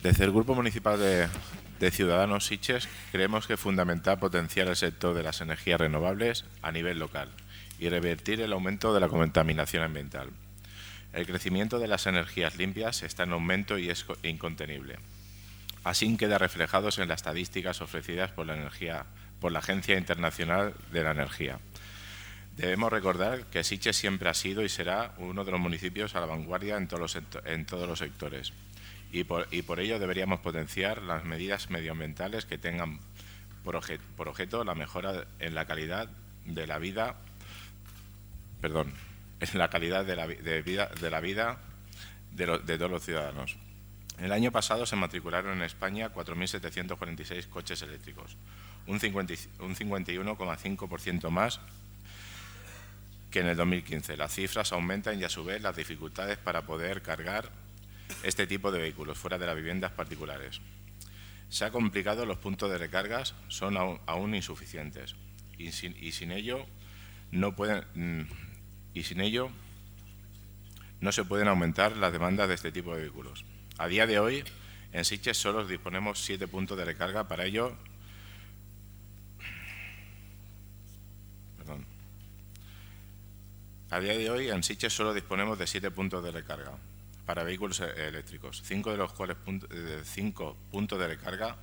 Desde el Grupo Municipal de Ciudadanos Sitges creemos que es fundamental potenciar el sector de las energías renovables a nivel local y revertir el aumento de la contaminación ambiental. El crecimiento de las energías limpias está en aumento y es incontenible. Así queda reflejados en las estadísticas ofrecidas por la Agencia Internacional de la Energía. Debemos recordar que Sitges siempre ha sido y será uno de los municipios a la vanguardia en todos los sectores. Y por ello deberíamos potenciar las medidas medioambientales que tengan por objeto la mejora en la calidad de la vida, de todos los ciudadanos. El año pasado se matricularon en España 4.746 coches eléctricos, un 51,5% más que en el 2015. Las cifras aumentan y a su vez las dificultades para poder cargar este tipo de vehículos fuera de las viviendas particulares. Se ha complicado, los puntos de recargas son aún insuficientes y sin ello no se pueden aumentar las demandas de este tipo de vehículos. A día de hoy, en Sitges solo disponemos 7 puntos de recarga. Para ello, a día de hoy en Sitges solo disponemos de 7 puntos de recarga para vehículos eléctricos, 5 de los cuales 5 puntos de recarga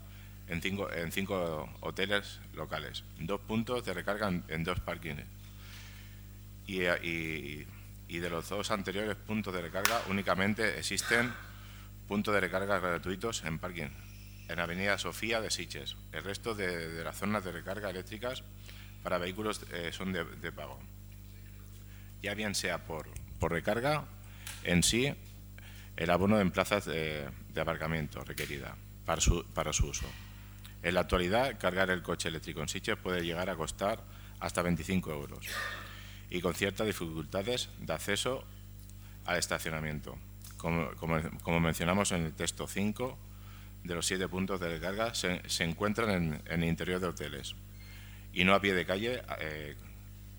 en 5 hoteles locales, 2 puntos de recarga en 2 parkings y de los 2 anteriores puntos de recarga únicamente existen puntos de recarga gratuitos en parking en Avenida Sofía de Sitges. El resto de las zonas de recarga eléctricas para vehículos son de pago, ya bien sea por recarga en sí, el abono en plazas de aparcamiento requerida para su uso. En la actualidad, cargar el coche eléctrico en Sitges puede llegar a costar hasta 25 euros y con ciertas dificultades de acceso al estacionamiento. Como mencionamos en el texto, 5 de los 7 puntos de recarga se encuentran en el interior de hoteles y no a pie de calle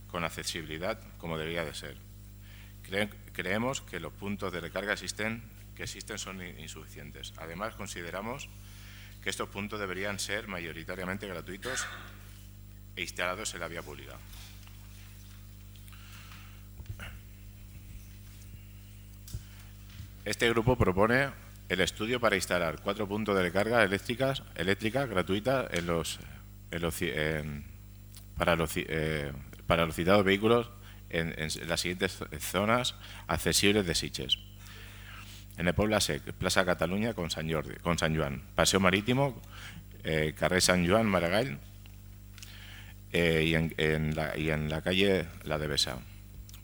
con accesibilidad como debería de ser. Creemos que los puntos de recarga que existen son insuficientes. Además, consideramos que estos puntos deberían ser mayoritariamente gratuitos e instalados en la vía pública. Este grupo propone el estudio para instalar 4 puntos de recarga eléctrica gratuita para los citados vehículos en las siguientes zonas accesibles de Sitges. En el Poble Sec, Plaça Catalunya con Sant Joan, Paseo Marítimo, Carrer Sant Joan, Maragall y en la calle La Devesa.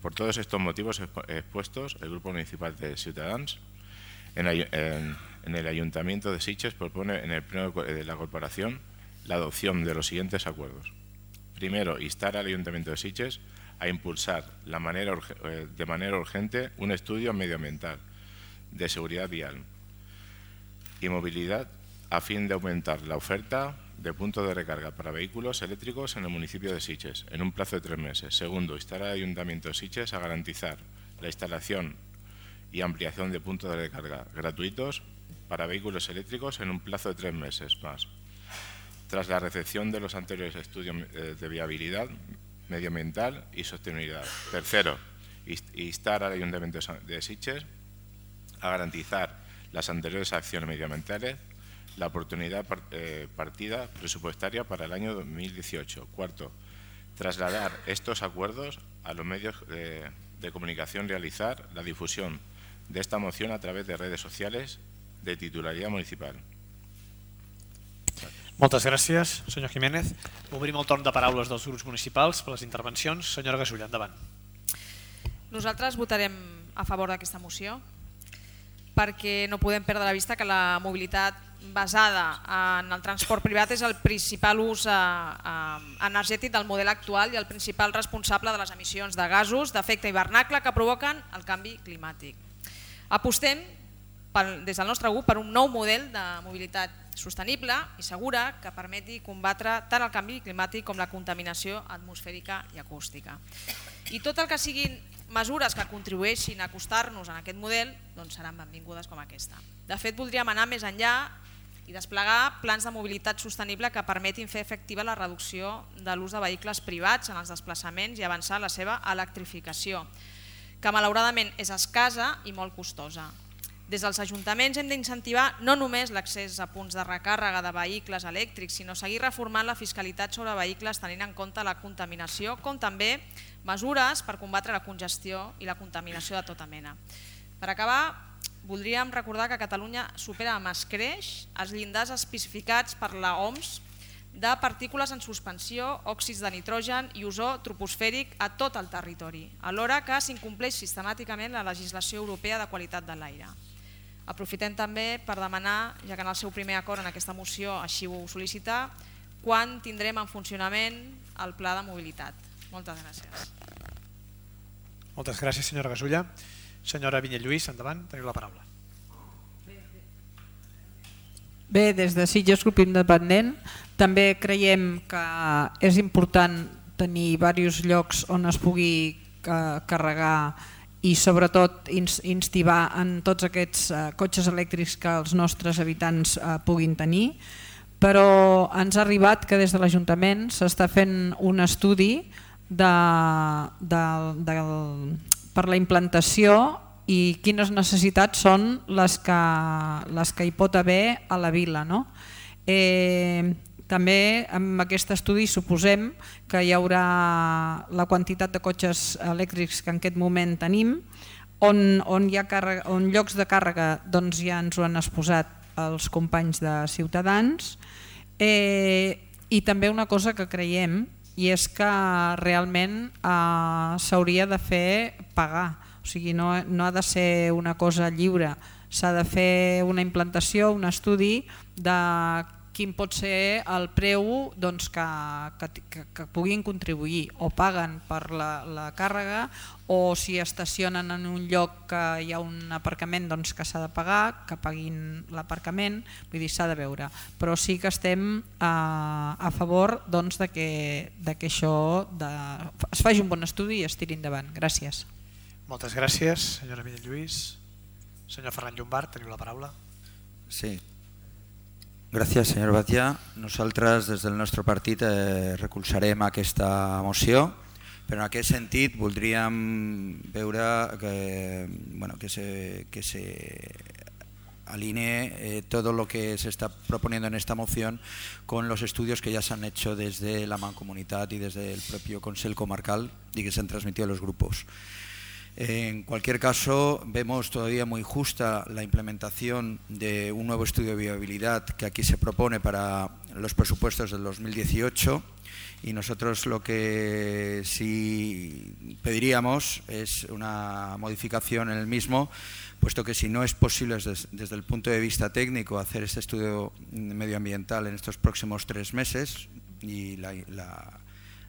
Por todos estos motivos expuestos, el Grupo Municipal de Ciudadanos en el Ayuntamiento de Sitges propone en el Pleno de la Corporación la adopción de los siguientes acuerdos. Primero, instar al Ayuntamiento de Sitges a impulsar de manera urgente un estudio medioambiental de seguridad vial y movilidad a fin de aumentar la oferta de puntos de recarga para vehículos eléctricos en el municipio de Sitges en un plazo de 3 meses. Segundo, instar al Ayuntamiento de Sitges a garantizar la instalación y ampliación de puntos de recarga gratuitos para vehículos eléctricos en un plazo de 3 meses más, tras la recepción de los anteriores estudios de viabilidad medioambiental y sostenibilidad. Tercero, instar al Ayuntamiento de Sitges a garantizar las anteriores acciones medioambientales, la oportunidad partida presupuestaria para el año 2018. Cuarto, trasladar estos acuerdos a los medios de comunicación, realizar la difusión de esta moción a través de redes sociales de titularidad municipal. Moltes gràcies, senyor Jiménez. Obrim el torn de paraules dels grups municipals per les intervencions. Senyora Gasulla, endavant. Nosaltres votarem a favor d'aquesta moció perquè no podem perdre de vista que la mobilitat basada en el transport privat és el principal ús energètic del model actual i el principal responsable de les emissions de gasos d'efecte hivernacle que provoquen el canvi climàtic. Apostem des del nostre grup per un nou model de mobilitat sostenible i segura que permeti combatre tant el canvi climàtic com la contaminació atmosfèrica i acústica. I tot el que siguin mesures que contribueixin a acostar-nos en aquest model doncs seran benvingudes com aquesta. De fet, voldríem anar més enllà i desplegar plans de mobilitat sostenible que permetin fer efectiva la reducció de l'ús de vehicles privats en els desplaçaments i avançar la seva electrificació, que malauradament és escassa i molt costosa. Des dels ajuntaments hem d'incentivar no només l'accés a punts de recàrrega de vehicles elèctrics, sinó seguir reformant la fiscalitat sobre vehicles tenint en compte la contaminació, com també mesures per combatre la congestió i la contaminació de tota mena. Per acabar, voldríem recordar que Catalunya supera amb escreix els llindars especificats per la OMS de partícules en suspensió, òxids de nitrogen i ozó troposfèric a tot el territori, alhora que s'incompleix sistemàticament la legislació europea de qualitat de l'aire. Aprofitem també per demanar, ja que en el seu primer acord en aquesta moció així ho sol·licita, quan tindrem en funcionament el pla de mobilitat. Moltes gràcies. Moltes gràcies, senyora Gasulla. Senyora Vinyet-Lluís, endavant, teniu la paraula. Bé, des de Sitges Grup Independent també creiem que és important tenir diversos llocs on es pugui carregar i sobretot instivar en tots aquests cotxes elèctrics que els nostres habitants puguin tenir, però ens ha arribat que des de l'Ajuntament s'està fent un estudi per la implantació i quines necessitats són les que hi pot haver a la vila. També amb aquest estudi suposem que hi haurà la quantitat de cotxes elèctrics que en aquest moment tenim, on llocs de càrrega ja ens ho han exposat els companys de Ciutadans, i també una cosa que creiem, i és que realment s'hauria de fer pagar, o sigui, no ha de ser una cosa lliure, s'ha de fer una implantació, un estudi de quin pot ser el preu que puguin contribuir, o paguen per la càrrega, o si estacionen en un lloc que hi ha un aparcament que s'ha de pagar, que paguin l'aparcament, vull dir, s'ha de veure. Però sí que estem a favor de que això es faci un bon estudi i es tiri endavant. Gràcies. Moltes gràcies, senyora Vinyet-Lluís. Senyor Ferran Llombart, teniu la paraula. Sí. Gràcies, senyor Batia. Nosaltres des del nostre partit recolzarem aquesta moció, però en aquest sentit voldríem veure que se alinee todo lo que se está proponiendo en esta moción con los estudios que ya se han hecho desde la Mancomunitat y desde el propio Consell Comarcal y que se han transmitido a los grupos. En cualquier caso, vemos todavía muy justa la implementación de un nuevo estudio de viabilidad que aquí se propone para los presupuestos del 2018, y nosotros lo que sí pediríamos es una modificación en el mismo, puesto que si no es posible desde el punto de vista técnico hacer este estudio medioambiental en estos próximos 3 meses y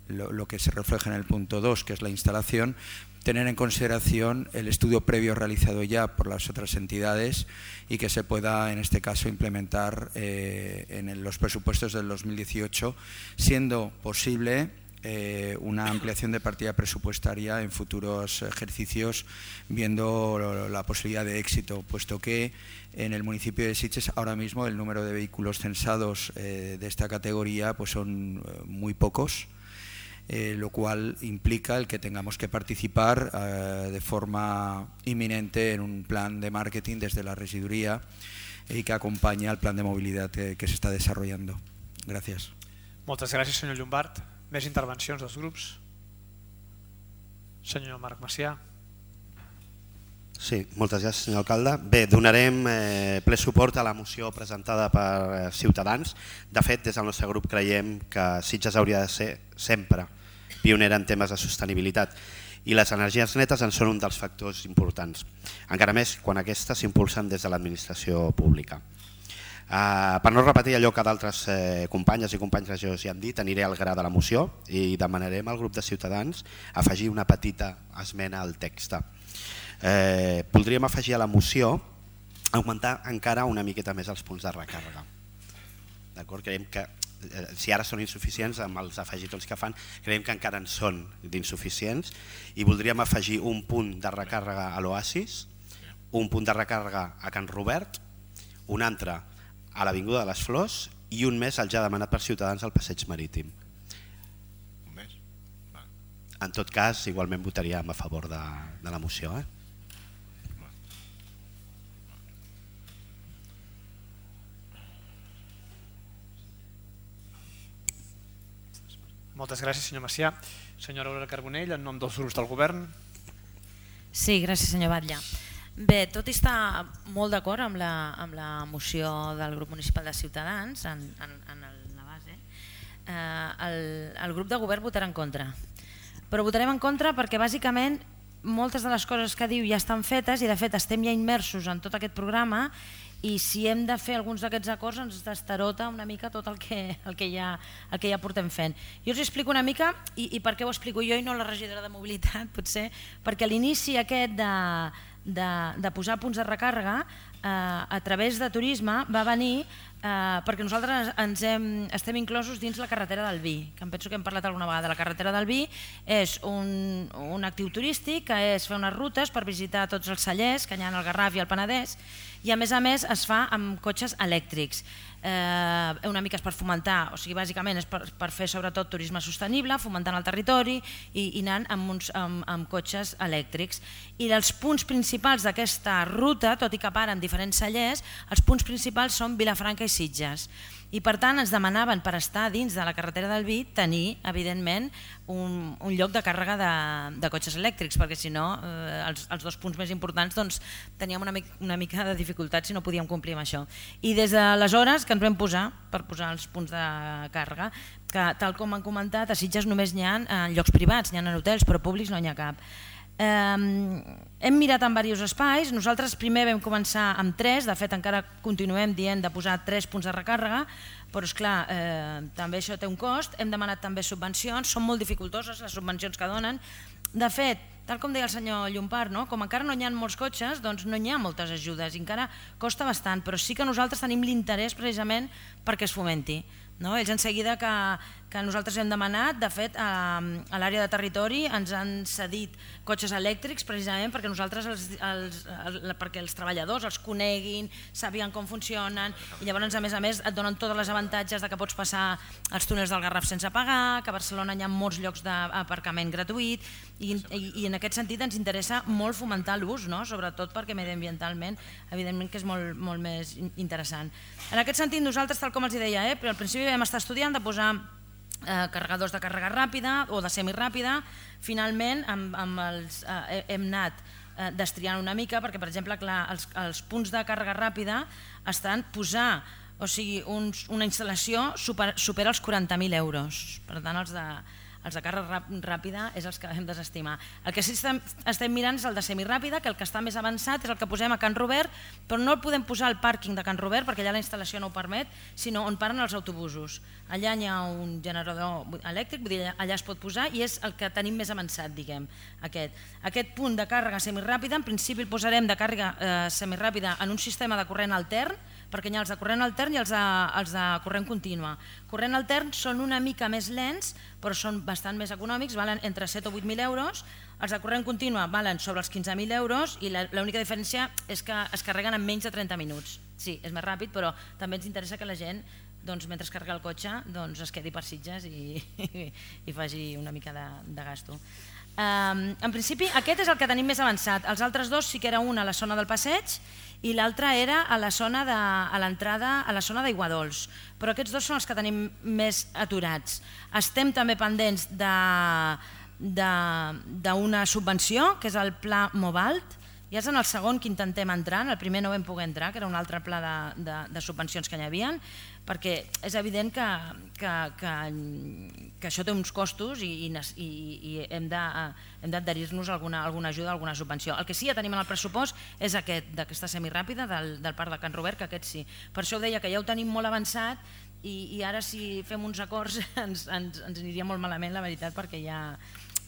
lo que se refleja en el punto 2, que es la instalación, tener en consideración el estudio previo realizado ya por las otras entidades y que se pueda en este caso implementar en los presupuestos del 2018, siendo posible una ampliación de partida presupuestaria en futuros ejercicios, viendo la posibilidad de éxito, puesto que en el municipio de Sitges ahora mismo el número de vehículos censados de esta categoría pues son muy pocos. Lo cual implica el que tengamos que participar de forma inminente en un plan de marketing desde la regiduría y que acompañe al plan de movilidad que se está desarrollando. Gràcies. Moltes gràcies, senyor Llombart. Més intervencions dels grups? Senyor Marc Macià. Sí, moltes gràcies, senyor alcalde. Bé, donarem ple suport a la moció presentada per Ciutadans. De fet, des del nostre grup creiem que Sitges hauria de ser sempre pionera en temes de sostenibilitat i les energies netes en són un dels factors importants, encara més quan aquestes s'impulsen des de l'administració pública. Per no repetir allò que d'altres companyes i companys regidors ja han dit, aniré al gra de la moció i demanarem al grup de Ciutadans afegir una petita esmena al text. Voldríem afegir a la moció augmentar encara una miqueta més els punts de recàrrega. Creiem que si ara són insuficients, amb els afegitons que fan, creiem que encara en són d'insuficients, i voldríem afegir un punt de recàrrega a l'Oasis, un punt de recàrrega a Can Robert, un altre a l'Avinguda de les Flors i un més el ja demanat per Ciutadans al Passeig Marítim. Un més? En tot cas, igualment votaríem a favor de la moció. Moltes gràcies, senyor Macià. Senyora Aurora Carbonell, en nom dels grups del govern. Sí, gràcies, senyor Batlle. Bé, tot i estar molt d'acord amb la moció del grup municipal de Ciutadans en la base, el grup de govern votarà en contra. Però votarem en contra perquè bàsicament moltes de les coses que diu ja estan fetes i de fet estem ja immersos en tot aquest programa, i si hem de fer alguns d'aquests acords ens destarota una mica tot el que ja portem fent. Jo us explico una mica i per què ho explico jo i no la regidora de mobilitat, potser, perquè l'inici aquest de posar punts de recàrrega a través de turisme va venir perquè nosaltres estem inclosos dins la carretera del Vi, que em penso que hem parlat alguna vegada. La carretera del Vi és un actiu turístic que és fer unes rutes per visitar tots els cellers que hi ha al Garraf i al Penedès, i a més es fa amb cotxes elèctrics. Una mica és per fomentar, o sigui, bàsicament és per fer sobretot turisme sostenible, fomentant el territori i anant amb cotxes elèctrics. I els punts principals d'aquesta ruta, tot i que paren diferents cellers, els punts principals són Vilafranca i Sitges. I per tant ens demanaven, per estar dins de la carretera del Vi, tenir evidentment un lloc de càrrega de cotxes elèctrics, perquè si no els dos punts més importants teníem una mica de dificultat si no podíem complir amb això. I des d'aleshores que ens vam posar per posar els punts de càrrega, que tal com han comentat, a Sitges només n'hi ha en llocs privats, n'hi ha en hotels, però públics no n'hi ha cap. Hem mirat en diversos espais, nosaltres primer vam començar amb 3, de fet encara continuem dient de posar 3 punts de recàrrega, però esclar, també això té un cost, hem demanat també subvencions, són molt dificultoses les subvencions que donen. De fet, tal com deia el senyor Llompart, com encara no hi ha molts cotxes, doncs no hi ha moltes ajudes, encara costa bastant, però sí que nosaltres tenim l'interès precisament perquè es fomenti. Ells en seguida que nosaltres hem demanat, de fet a l'àrea de territori ens han cedit cotxes elèctrics precisament perquè perquè els treballadors els coneguin, sàpiguen com funcionen, i llavors a més et donen tots els avantatges que pots passar els túnels del Garraf sense pagar, que a Barcelona hi ha molts llocs d'aparcament gratuït, i en aquest sentit ens interessa molt fomentar l'ús, sobretot perquè mediambientalment evidentment que és molt més interessant. En aquest sentit nosaltres, tal com els deia, però al principi vam estar estudiant de posar carregadors de càrrega ràpida o de semiràpida. Finalment hem anat destriant una mica perquè, per exemple, els punts de càrrega ràpida estan posar, o sigui, una instal·lació supera els 40.000 euros. Per tant, els de càrrega ràpida és els que hem desestimar. El que sí estem mirant és el de semiràpida, que el que està més avançat és el que posem a Can Robert, però no el podem posar al pàrquing de Can Robert perquè allà la instal·lació no ho permet, sinó on paren els autobusos. Allà hi ha un generador elèctric, vull dir, allà es pot posar i és el que tenim més avançat, diguem, aquest punt de càrrega semiràpida. En principi el posarem de càrrega semiràpida en un sistema de corrent altern, perquè hi ha els de corrent altern i els de corrent contínua. Corrent altern són una mica més lents, però són bastant més econòmics, valen entre 7 o 8.000 euros. Els de corrent contínua valen sobre els 15.000 euros i l'única diferència és que es carreguen en menys de 30 minuts. Sí, és més ràpid, però també ens interessa que la gent, mentre es carrega el cotxe, es quedi per Sitges i faci una mica de gasto. En principi aquest és el que tenim més avançat. Els altres dos sí que era un a la zona del passeig i l'altre era a l'entrada a la zona d'Aiguadols, però aquests dos són els que tenim més aturats. Estem també pendents d'una subvenció, que és el Pla Movalt. Ja és en el segon que intentem entrar, en el primer no vam poder entrar, que era un altre pla de subvencions que hi havia, perquè és evident que això té uns costos i hem d'adherir-nos a alguna ajuda, a alguna subvenció. El que sí que tenim en el pressupost és d'aquesta semiràpida del Parc de Can Robert, que aquest sí. Per això ho deia, que ja ho tenim molt avançat i ara si fem uns acords ens aniria molt malament, la veritat, perquè ja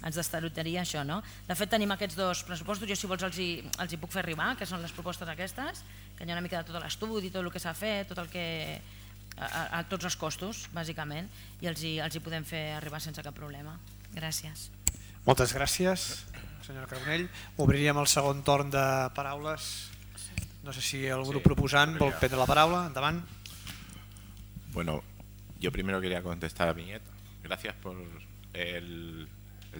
ens destarotaria això. De fet tenim aquests dos pressupostos, jo si vols els hi puc fer arribar, que són les propostes aquestes, que hi ha una mica de tot l'estudi, tot el que s'ha fet, tot el que a tots els costos, bàsicament, i els hi podem fer arribar sense cap problema. Gràcies. Moltes gràcies, senyora Carbonell. Obriríem el segon torn de paraules. No sé si el grup proposant vol prendre la paraula. Endavant. Bueno, yo primero quería contestar a Viñet. Gracias por el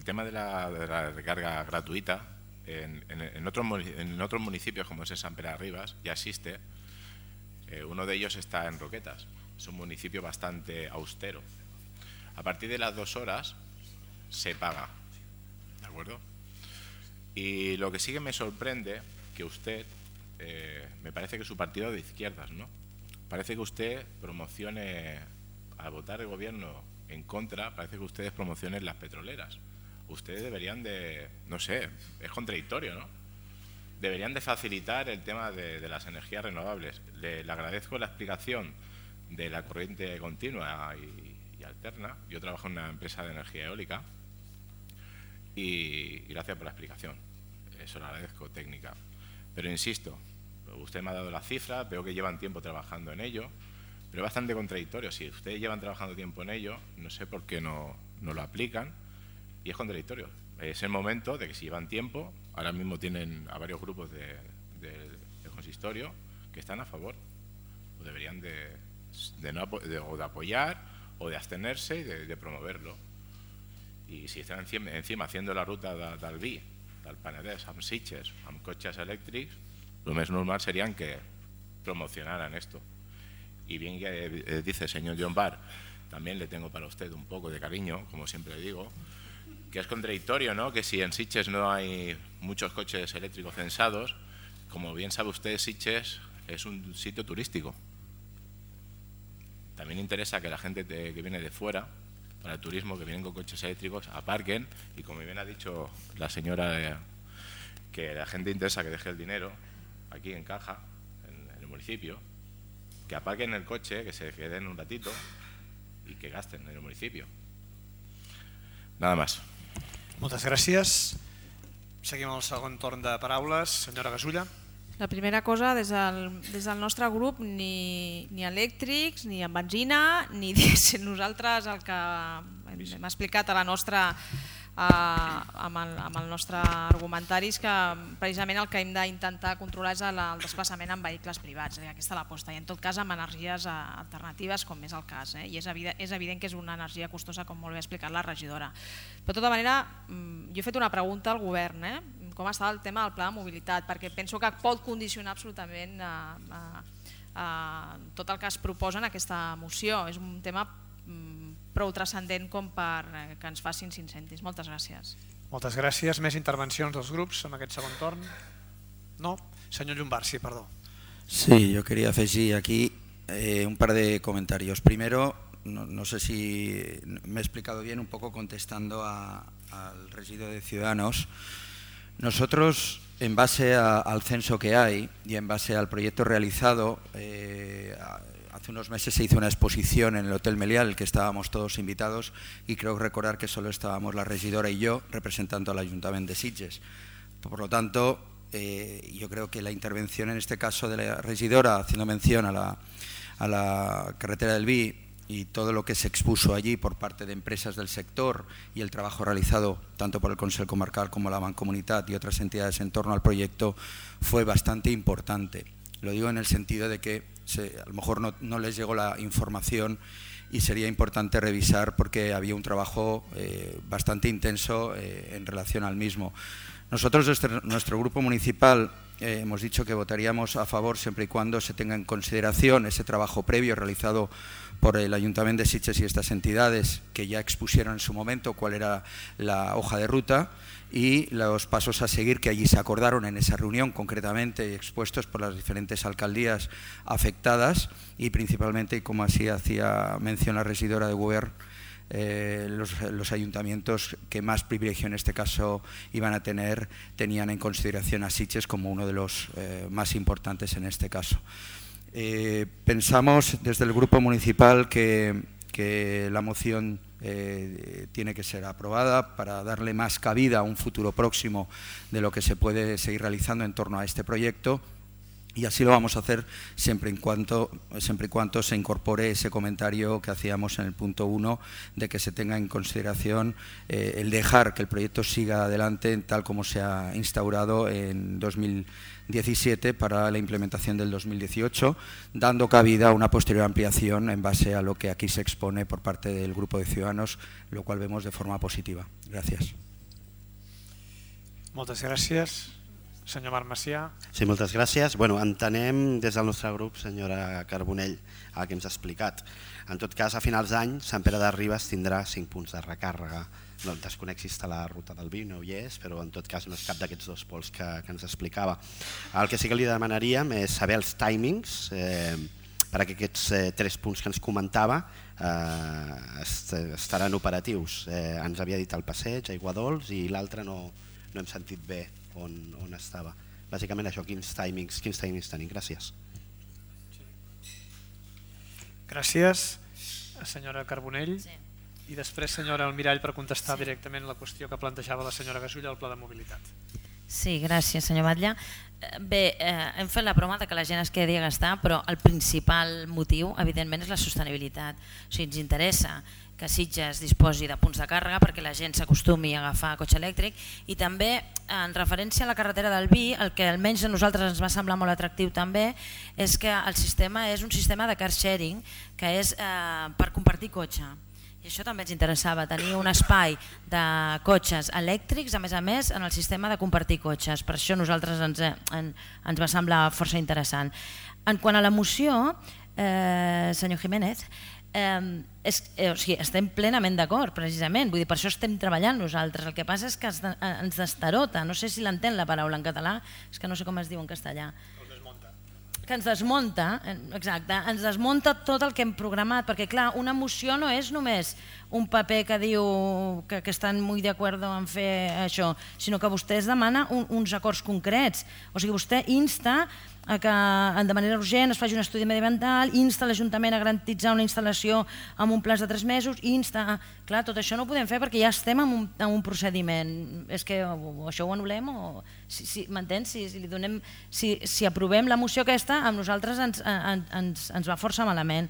tema de la recarga gratuita. En otros municipios, como es en San Pere de Ribas, ya existe. Uno de ellos está en Roquetas. Es un municipio bastante austero. A partir de las 2 horas se paga, ¿de acuerdo? Y lo que sí que me sorprende, que usted, me parece que su partido de izquierdas, ¿no? Parece que usted promocione, al votar el gobierno en contra, parece que ustedes promocionen las petroleras. Ustedes deberían de, no sé, es contradictorio, ¿no? Deberían de facilitar el tema de las energías renovables. Le agradezco la explicación de la corriente continua y alterna. Yo trabajo en una empresa de energía eólica y gracias por la explicación. Eso lo agradezco, técnica. Pero insisto, usted me ha dado las cifras, veo que llevan tiempo trabajando en ello, pero es bastante contradictorio. Si ustedes llevan trabajando tiempo en ello, no sé por qué no lo aplican, y es contradictorio. Es el momento de que si llevan tiempo, ahora mismo tienen a varios grupos del consistorio que están a favor, o deberían de apoyar o de abstenerse y de promoverlo. Y si están encima haciendo la ruta del Vi, del Penedès, amb Sitges, amb cotxes elèctrics, lo más normal serían que promocionaran esto. Y bien que dice el señor John Barr, también le tengo para usted un poco de cariño, como siempre digo, que es contradictorio, ¿no? Que si en Sitges no hay muchos coches eléctricos censados, como bien sabe usted, Sitges es un sitio turístico. También interesa que la gente que viene de fuera, para el turismo, que vienen con coches eléctricos, aparquen, y como bien ha dicho la señora, que la gente interesa que deje el dinero aquí en caja, en el municipio, que aparquen el coche, que se queden un ratito y que gasten en el municipio. Nada más. Moltes gràcies. Seguim el segon torn de paraules. Senyora Gasulla. La primera cosa, des del nostre grup, ni elèctrics, ni amb benzina, ni dièsel. Nosaltres el que hem explicat a la nostra, amb el nostre argumentari és que precisament el que hem d'intentar controlar és el desplaçament en vehicles privats, aquesta és l'aposta, i en tot cas amb energies alternatives, com és el cas, i és evident que és una energia costosa, com molt bé ha explicat la regidora. Però de tota manera, jo he fet una pregunta al govern, com està el tema del pla de mobilitat, perquè penso que pot condicionar absolutament tot el que es proposa en aquesta moció. És un tema prou transcendent com per que ens facin 5 cèntims. Moltes gràcies. Moltes gràcies. Més intervencions dels grups en aquest segon torn? No? Senyor Llombart, sí, perdó. Sí, yo quería afegir aquí un par de comentarios. Primero, no sé si me he explicado bien, un poco contestando al residuo de Ciudadanos. Nosotros, en base al censo que hay y en base al proyecto realizado, hace unos meses se hizo una exposición en el Hotel Meliá, en el que estábamos todos invitados, y creo recordar que solo estábamos la regidora y yo representando al Ayuntamiento de Sitges. Por lo tanto, yo creo que la intervención en este caso de la regidora, haciendo mención a la carretera del Vi y todo lo que se expuso allí por parte de empresas del sector y el trabajo realizado tanto por el Consell Comarcal como la Mancomunitat y otras entidades en torno al proyecto, fue bastante importante. Lo digo en el sentido de que a lo mejor no les llegó la información y sería importante revisar, porque había un trabajo bastante intenso en relación al mismo. Nosotros, nuestro grupo municipal, hemos dicho que votaríamos a favor siempre y cuando se tenga en consideración ese trabajo previo realizado por el Ayuntamiento de Sitges y estas entidades, que ya expusieron en su momento cuál era la hoja de ruta y los pasos a seguir que allí se acordaron en esa reunión, concretamente expuestos por las diferentes alcaldías afectadas, y principalmente, como así hacía mención la regidora de Govern, los ayuntamientos que más privilegio en este caso iban a tener, tenían en consideración a Sitges como uno de los más importantes en este caso. Pensamos desde el grupo municipal que la moción tiene que ser aprobada para darle más cabida a un futuro próximo de lo que se puede seguir realizando en torno a este proyecto, Y así lo vamos a hacer siempre y cuando se incorpore ese comentario que hacíamos en el punto 1 de que se tenga en consideración el dejar que el proyecto siga adelante tal como se ha instaurado en 2017 para la implementación del 2018, dando cabida a una posterior ampliación en base a lo que aquí se expone por parte del grupo de ciudadanos, lo cual vemos de forma positiva. Gracias. Moltes gràcies. Senyor Marc Macià. Sí, moltes gràcies. Bueno, entenem des del nostre grup, senyora Carbonell, el que ens ha explicat. En tot cas, a finals d'any, Sant Pere de Ribes tindrà 5 punts de recàrrega. No, desconec si està la ruta del vi, no hi és, però en tot cas no és cap d'aquests dos pols que ens explicava. El que sí que li demanaríem és saber els timings, perquè aquests 3 punts que ens comentava estaran operatius. Ens havia dit el passeig, Aiguadols, i l'altre no hem sentit bé on estava. Bàsicament això, quins timings tenim. Gràcies. Gràcies, senyora Carbonell. I després, senyora Almirall, per contestar directament la qüestió que plantejava la senyora Gasulla al pla de mobilitat. Sí, gràcies, senyor Batlle. Bé, hem fet la broma que la gent es quedi a gastar, però el principal motiu, evidentment, és la sostenibilitat. O sigui, ens interessa que Sitges disposi de punts de càrrega perquè la gent s'acostumi a agafar cotxe elèctric, i també en referència a la carretera del Vi, el que almenys a nosaltres ens va semblar molt atractiu també és que el sistema és un sistema de car sharing que és per compartir cotxe. I això també ens interessava, tenir un espai de cotxes elèctrics, a més, en el sistema de compartir cotxes. Per això a nosaltres ens va semblar força interessant. En quant a la moció, senyor Jiménez, estem plenament d'acord, precisament, vull dir, per això estem treballant nosaltres. El que passa és que ens destarota, no sé si l'entén la paraula en català, és que no sé com es diu en castellà. Que ens desmunta, exacte, ens desmunta tot el que hem programat, perquè clar, una moció no és només un paper que diu que estan molt d'acord en fer això, sinó que vostè es demana uns acords concrets, o sigui, vostè insta a que de manera urgent es faci un estudi mediambiental, insta l'Ajuntament a garantitzar una instal·lació amb un plaç de 3 mesos, insta... Clar, tot això no ho podem fer perquè ja estem en un procediment. És que això ho anul·lem o... M'entens? Si aprovem la moció aquesta, a nosaltres ens va força malament.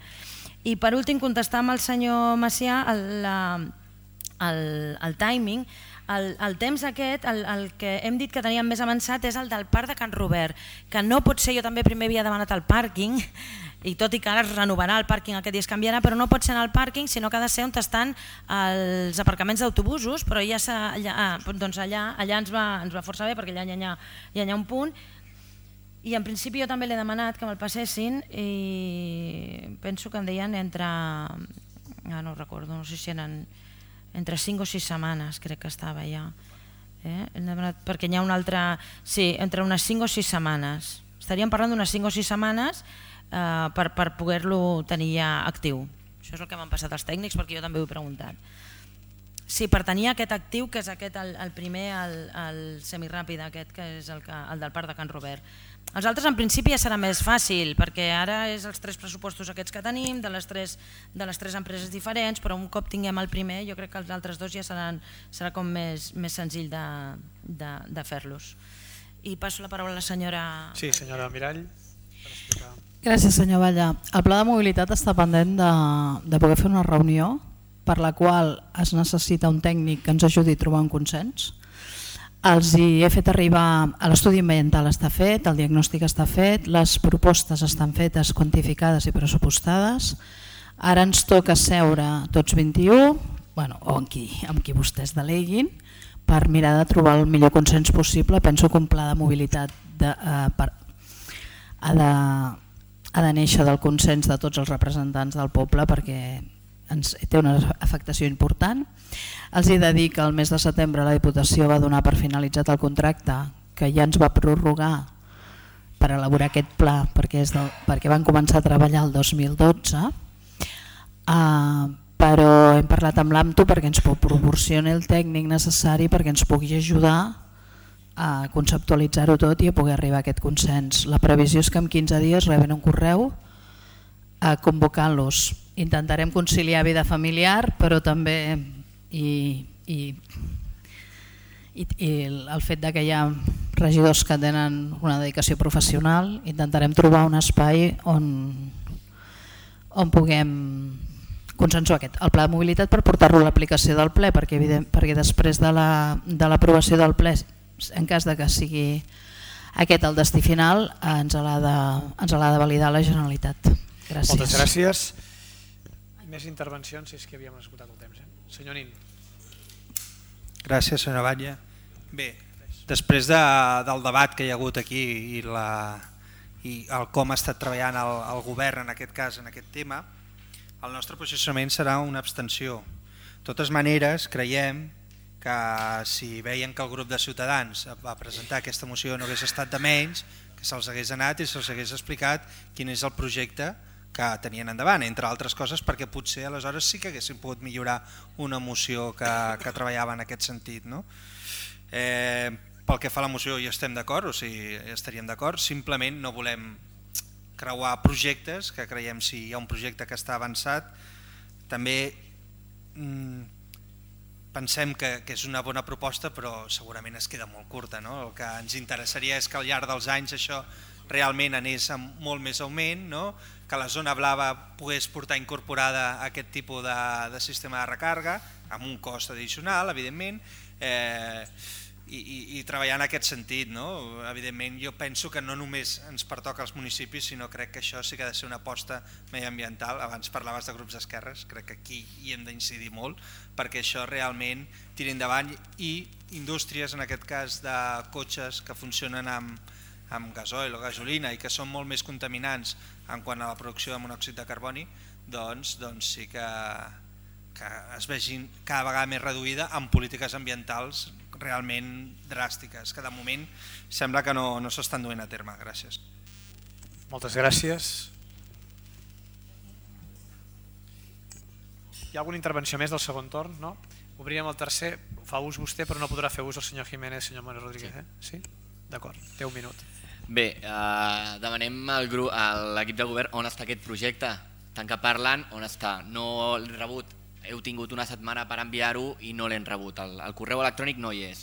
I per últim, contestar amb el senyor Macià el timing. El temps aquest, el que hem dit que teníem més avançat és el del parc de Can Robert, que no pot ser, jo també primer havia demanat el pàrquing, i tot i que ara es renovarà el pàrquing aquest dia es canviarà, però no pot ser en el pàrquing, sinó que ha de ser on estan els aparcaments d'autobusos, però allà ens va força bé perquè allà hi ha un punt, i en principi jo també l'he demanat que me'l passessin i penso que em deien entre, no ho recordo, no sé si eren entre 5 o 6 setmanes, crec que estava ja, perquè hi ha una altra, sí, entre unes 5 o 6 setmanes, estaríem parlant d'unes 5 o 6 setmanes per poder-lo tenir ja actiu. Això és el que m'han passat els tècnics perquè jo també ho he preguntat. Sí, per tenir aquest actiu, que és aquest el primer, el semiràpid aquest, que és el del parc de Can Robert. Els altres en principi ja serà més fàcil, perquè ara és els 3 pressupostos aquests que tenim, de les 3 empreses diferents, però un cop tinguem el primer jo crec que els altres 2 ja serà com més senzill de fer-los. I passo la paraula a la senyora... Sí, senyora Mirall. Gràcies, senyor Batlle. El pla de mobilitat està pendent de poder fer una reunió per la qual es necessita un tècnic que ens ajudi a trobar un consens. Els hi he fet arribar, l'estudi ambiental està fet, el diagnòstic està fet, les propostes estan fetes, quantificades i pressupostades. Ara ens toca seure tots 21, o amb qui vostès deleguin, per mirar de trobar el millor consens possible. Penso que un pla de mobilitat ha de néixer del consens de tots els representants del poble perquè té una afectació important. Els he de dir que el mes de setembre la Diputació va donar per finalitzat el contracte que ja ens va prorrogar per elaborar aquest pla perquè van començar a treballar el 2012, però hem parlat amb l'AMTO perquè ens proporcioni el tècnic necessari perquè ens pugui ajudar a conceptualitzar-ho tot i a poder arribar a aquest consens. La previsió és que en 15 dies reben un correu convocant-los. Intentarem conciliar vida familiar, però també i el fet que hi ha regidors que tenen una dedicació professional, intentarem trobar un espai on puguem consensuar el pla de mobilitat per portar-lo a l'aplicació del ple, perquè després de l'aprovació del ple, en cas de que sigui aquest el destí final, ens l'ha de validar la Generalitat. Gràcies. Moltes gràcies. Més intervencions, si és que havíem esgotat el temps. Senyor Nin. Gràcies, senyor Batlle. Bé, després del debat que hi ha hagut aquí i el com ha estat treballant el govern en aquest cas, en aquest tema, el nostre posicionament serà una abstenció. De totes maneres, creiem que si veien que el grup de Ciutadans va presentar aquesta moció no hagués estat de menys, que se'ls hagués anat i se'ls hagués explicat quin és el projecte que tenien endavant, entre altres coses perquè potser aleshores sí que haguessin pogut millorar una moció que treballava en aquest sentit. Pel que fa a la moció hi estem d'acord, o sigui, estaríem d'acord, simplement no volem creuar projectes, que creiem si hi ha un projecte que està avançat, també pensem que és una bona proposta però segurament es queda molt curta. El que ens interessaria és que al llarg dels anys això realment anés amb molt més augment, que la zona blava pogués portar incorporada aquest tipus de sistema de recàrrega, amb un cost addicional, evidentment, i treballar en aquest sentit. Evidentment, jo penso que no només ens pertoca als municipis, sinó crec que això sí que ha de ser una aposta mediambiental. Abans parlaves de grups d'esquerres, crec que aquí hi hem d'incidir molt perquè això realment tiri endavant i indústries, en aquest cas de cotxes que funcionen amb gasoil o gasolina i que són molt més contaminants en quant a la producció de monòxid de carboni, doncs sí que es vegin cada vegada més reduïda amb polítiques ambientals realment dràstiques, que de moment sembla que no s'estan duent a terme. Gràcies. Moltes gràcies. Hi ha alguna intervenció més del segon torn? No? Obríem el tercer. Fa ús vostè, però no podrà fer ús el senyor Jiménez, senyor Manuel Rodríguez. Sí? D'acord, té un minut. Bé, demanem a l'equip de govern on està aquest projecte. Tant que parlen, on està? No l'he rebut. Heu tingut una setmana per enviar-ho i no l'hem rebut. El correu electrònic no hi és.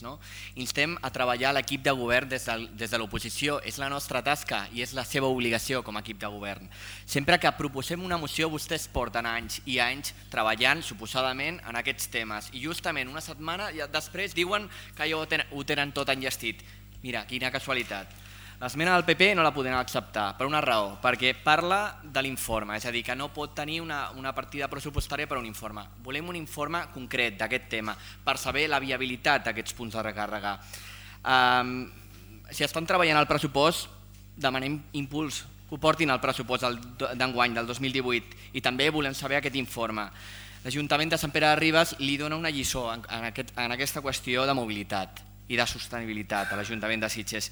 Instem a treballar l'equip de govern des de l'oposició. És la nostra tasca i és la seva obligació com a equip de govern. Sempre que proposem una moció, vostès porten anys i anys treballant suposadament en aquests temes. I justament una setmana després diuen que ja ho tenen tot enllestit. Mira, quina casualitat. L'esmena del PP no la podem acceptar, per una raó, perquè parla de l'informe, és a dir, que no pot tenir una partida pressupostària per a un informe. Volem un informe concret d'aquest tema, per saber la viabilitat d'aquests punts de recàrrega. Si estan treballant el pressupost, demanem impuls, que ho portin al pressupost d'enguany, del 2018, i també volem saber aquest informe. L'Ajuntament de Sant Pere de Ribes li dona una lliçó en aquesta qüestió de mobilitat i de sostenibilitat a l'Ajuntament de Sitges.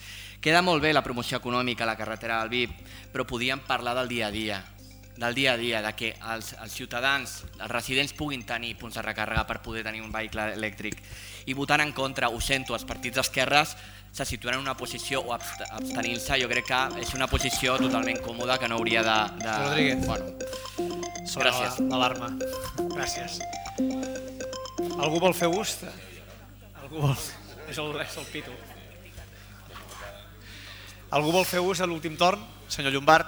Queda molt bé la promoció econòmica a la carretera del VIP, però podíem parlar del dia a dia, de que els ciutadans, els residents puguin tenir punts de recàrrega per poder tenir un vehicle elèctric. I votant en contra, ho sento, els partits d'esquerres se situen en una posició o abstenint-se, jo crec que és una posició totalment còmoda que no hauria de... Rodríguez. Gràcies. L'alarma. Gràcies. Algú vol fer ús? Algú vol... És el pito. Algú vol fer ús a l'últim torn? Senyor Llombart,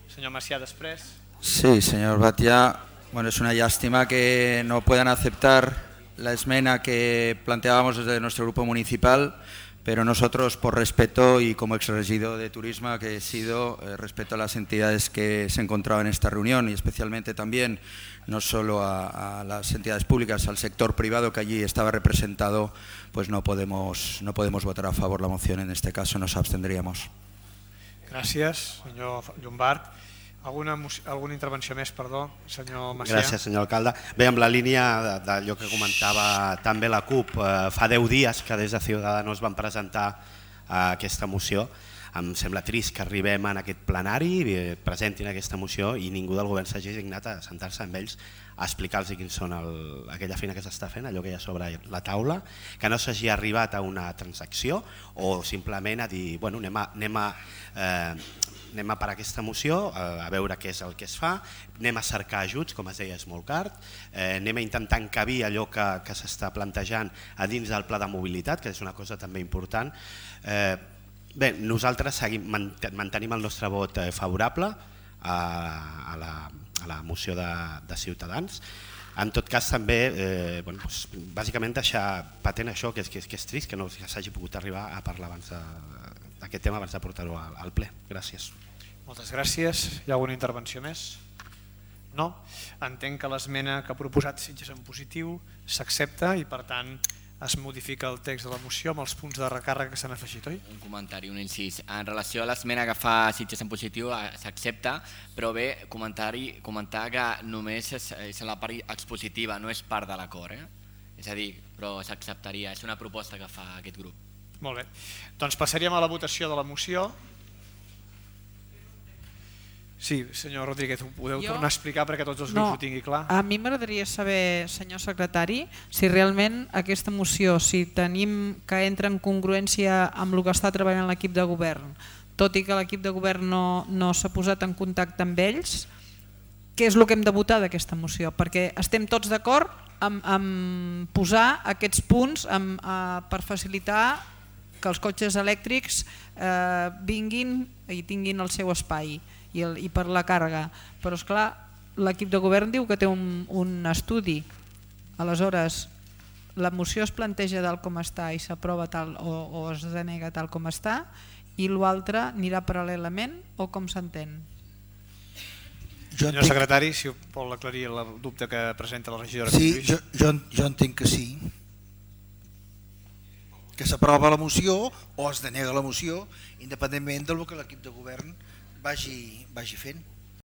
senyor Macià després. Sí, señor Batia. Bueno, es una lástima que no puedan aceptar la esmena que planteábamos desde nuestro grupo municipal, pero nosotros, por respeto y como exregidor de turismo que he sido, respeto a las entidades que se encontraban en esta reunión y especialmente también no solo a las entidades públicas, al sector privado que allí estaba representado, pues no podemos votar a favor la moción, en este caso nos abstendríamos. Gràcies, senyor Llombart. Alguna intervenció més, perdó, senyor Macià? Gràcies, senyor alcalde. Bé, amb la línia d'allò que comentava també la CUP, fa 10 dies que des de Ciudadanos van presentar aquesta moció. Em sembla trist que arribem en aquest plenari, presentin aquesta moció i ningú del govern s'hagi dignat a sentar-se amb ells a explicar-los quins són aquella feina que s'està fent, allò que hi ha sobre la taula, que no s'hagi arribat a una transacció o simplement a dir bueno, anem a per aquesta moció, a veure què és el que es fa, anem a cercar ajuts, com es deia és molt car, anem a intentar encabir allò que s'està plantejant a dins del pla de mobilitat, que és una cosa també important. Bé, nosaltres mantenim el nostre vot favorable a la moció de Ciutadans. En tot cas també, bàsicament deixar patent això, que és trist que no s'hagi pogut arribar a parlar abans d'aquest tema abans de portar-ho al ple. Gràcies. Moltes gràcies. Hi ha alguna intervenció més? No? Entenc que l'esmena que ha proposat Sitges en positiu s'accepta i per tant es modifica el text de la moció amb els punts de recàrrega que s'han afegit, oi? Un comentari, un incís. En relació a l'esmena que fa Sitges en positiu s'accepta, però bé, comentar que només és la part expositiva, no és part de l'acord. És a dir, però s'acceptaria, és una proposta que fa aquest grup. Molt bé, doncs passaríem a la votació de la moció. Sí, senyor Rodríguez, ho podeu tornar a explicar perquè tots els grups ho tingui clar? A mi m'agradaria saber, senyor secretari, si realment aquesta moció, si tenim que entra en congruència amb el que està treballant l'equip de govern, tot i que l'equip de govern no s'ha posat en contacte amb ells, què és el que hem de votar d'aquesta moció? Perquè estem tots d'acord en posar aquests punts per facilitar que els cotxes elèctrics vinguin i tinguin el seu espai i per la càrrega, però esclar, l'equip de govern diu que té un estudi, aleshores la moció es planteja tal com està i s'aprova tal o es denega tal com està i l'altre anirà paral·lelament o com s'entén? Senyor secretari, si vol aclarir el dubte que presenta la regidora. Sí, jo entenc que sí, que s'aprova la moció o es denega la moció independentment del que l'equip de govern vagi fent.